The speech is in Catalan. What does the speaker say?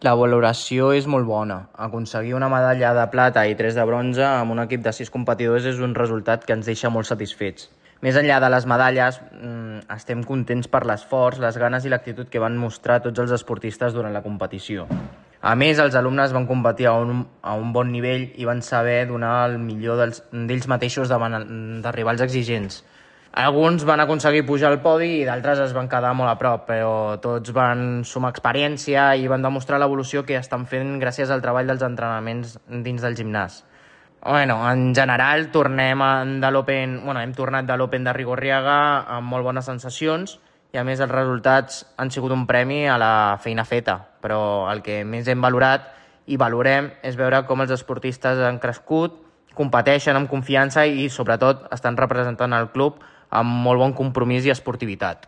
La valoració és molt bona. Aconseguir una medalla de plata i 3 de bronze amb un equip de 6 competidors és un resultat que ens deixa molt satisfets. Més enllà de les medalles, estem contents per l'esforç, les ganes i l'actitud que van mostrar tots els esportistes durant la competició. A més, els alumnes van competir a un bon nivell i van saber donar el millor d'ells mateixos davant de rivals exigents. Alguns van aconseguir pujar al podi i d'altres es van quedar molt a prop, però tots van sumar experiència i van demostrar l'evolució que estan fent gràcies al treball dels entrenaments dins del gimnàs. En general, hem tornat de l'Open de Rigorriaga amb molt bones sensacions i a més els resultats han sigut un premi a la feina feta, però el que més hem valorat i valorem és veure com els esportistes han crescut, competeixen amb confiança i sobretot estan representant el club amb molt bon compromís i esportivitat.